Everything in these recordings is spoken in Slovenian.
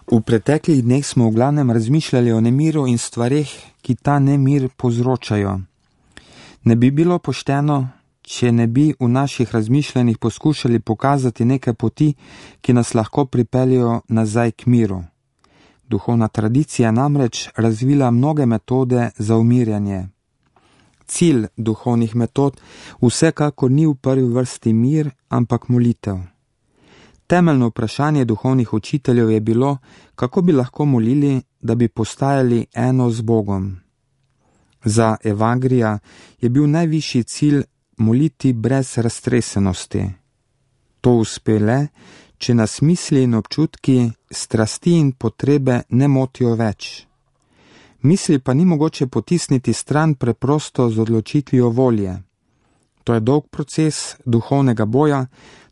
V preteklih dneh smo v glavnem razmišljali o nemiru in stvareh, ki ta nemir povzročajo. Ne bi bilo pošteno, če ne bi v naših razmišljanjih poskušali pokazati neke poti, ki nas lahko pripeljejo nazaj k miru. Duhovna tradicija namreč razvila mnoge metode za umirjanje. Cilj duhovnih metod vsekakor ni v prvi vrsti mir, ampak molitev. Temeljno vprašanje duhovnih učiteljev je bilo, kako bi lahko molili, da bi postajali eno z Bogom. Za Evangelija je bil najvišji cilj moliti brez raztresenosti. To uspe le, če nas misli in občutki, strasti in potrebe ne motijo več. Misli pa ni mogoče potisniti stran preprosto z odločitvijo volje. To je dolg proces duhovnega boja,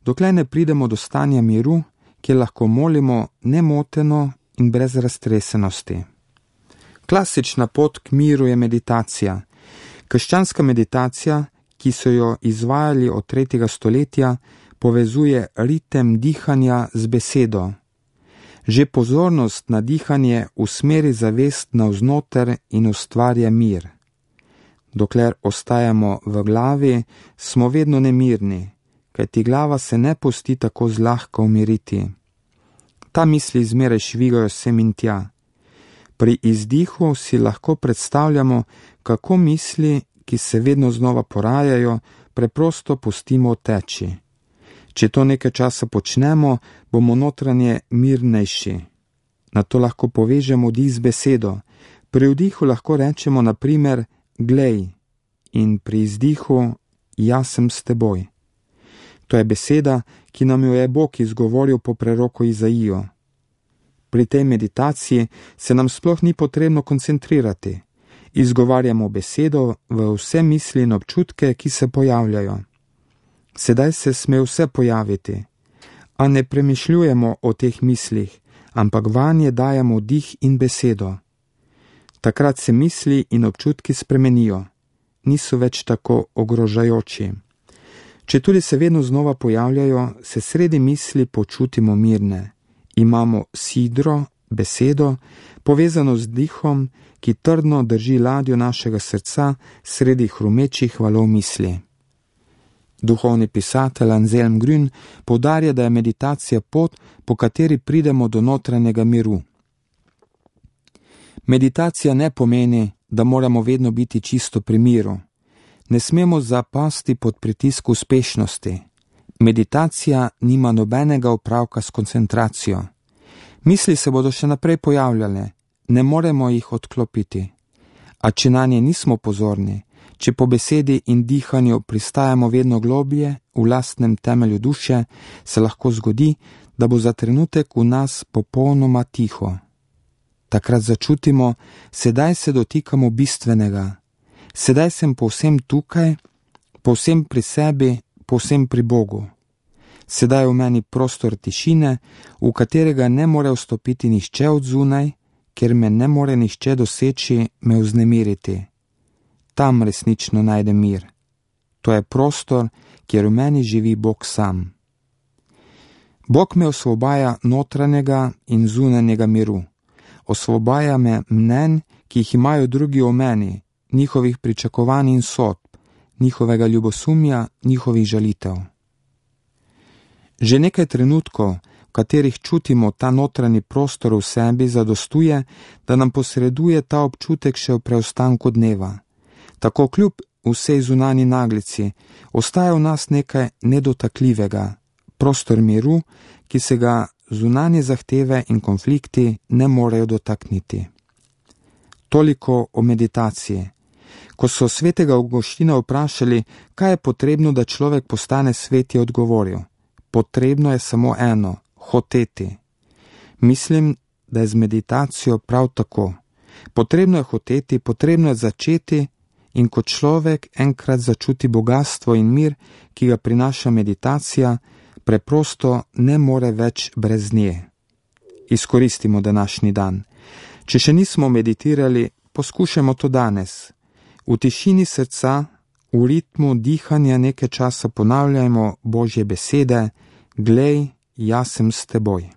dokler ne pridemo do stanja miru, kjer lahko molimo nemoteno in brez raztresenosti. Klasična pot k miru je meditacija. Krščanska meditacija, ki so jo izvajali od 3. stoletja, povezuje ritem dihanja z besedo. Že pozornost na dihanje usmeri zavest navznoter in ustvarja mir. Dokler ostajamo v glavi, smo vedno nemirni, kajti glava se ne pusti tako zlahka umiriti. Ta misli zmeraj švigajo sem in tja. Pri izdihu si lahko predstavljamo, kako misli, ki se vedno znova porajajo, preprosto pustimo teči. Če to nekaj časa počnemo, bomo notranje mirnejši. Na to lahko povežemo vdih z besedo. Pri vdihu lahko rečemo na primer glej in pri izdihu jaz sem s teboj. To je beseda, ki nam jo je Bog izgovoril po preroku Izaijo. Pri tej meditaciji se nam sploh ni potrebno koncentrirati. Izgovarjamo besedo v vse misli in občutke, ki se pojavljajo. Sedaj se sme vse pojaviti, a ne premišljujemo o teh mislih, ampak vanje dajemo dih in besedo. Takrat se misli in občutki spremenijo, niso več tako ogrožajoči. Če tudi se vedno znova pojavljajo, se sredi misli počutimo mirne. Imamo sidro, besedo, povezano z dihom, ki trdno drži ladjo našega srca sredi hrumečih valov misli. Duhovni pisatelj Anselm Grün poudarja, da je meditacija pot, po kateri pridemo do notranjega miru. Meditacija ne pomeni, da moramo vedno biti čisto pri miru. Ne smemo zapasti pod pritisk uspešnosti. Meditacija nima nobenega opravka s koncentracijo. Misli se bodo še naprej pojavljale, ne moremo jih odklopiti. A če na nje nismo pozorni, če po besedi in dihanju pristajamo vedno globlje v lastnem temelju duše, se lahko zgodi, da bo za trenutek v nas popolnoma tiho. Takrat začutimo, sedaj se dotikamo bistvenega. Sedaj sem povsem tukaj, povsem pri sebi, povsem pri Bogu. Sedaj je v meni prostor tišine, v katerega ne more vstopiti nihče od zunaj, ker me ne more nihče doseči, me vznemiriti. Tam resnično najdem mir. To je prostor, kjer v meni živi Bog sam. Bog me osvobaja notranjega in zunanjega miru. Osvobaja me mnenj, ki jih imajo drugi o meni, njihovih pričakovanj in sodb, njihovega ljubosumja, njihovih žalitev. Že nekaj trenutkov, v katerih čutimo ta notranji prostor v sebi, zadostuje, da nam posreduje ta občutek še v preostanku dneva. Tako kljub vsej zunanji naglici ostaja v nas nekaj nedotakljivega, prostor miru, ki se ga zunanje zahteve in konflikti ne morejo dotakniti. Toliko o meditaciji. Ko so svetega Avguština vprašali, kaj je potrebno, da človek postane svet, je odgovoril: potrebno je samo eno, hoteti. Mislim, da je z meditacijo prav tako. Potrebno je hoteti, potrebno je začeti, in ko človek enkrat začuti bogastvo in mir, ki ga prinaša meditacija, preprosto ne more več brez nje. Izkoristimo današnji dan. Če še nismo meditirali, poskušajmo to danes. V tišini srca, v ritmu dihanja nekaj časa ponavljajmo Božje besede: glej, jaz sem s teboj.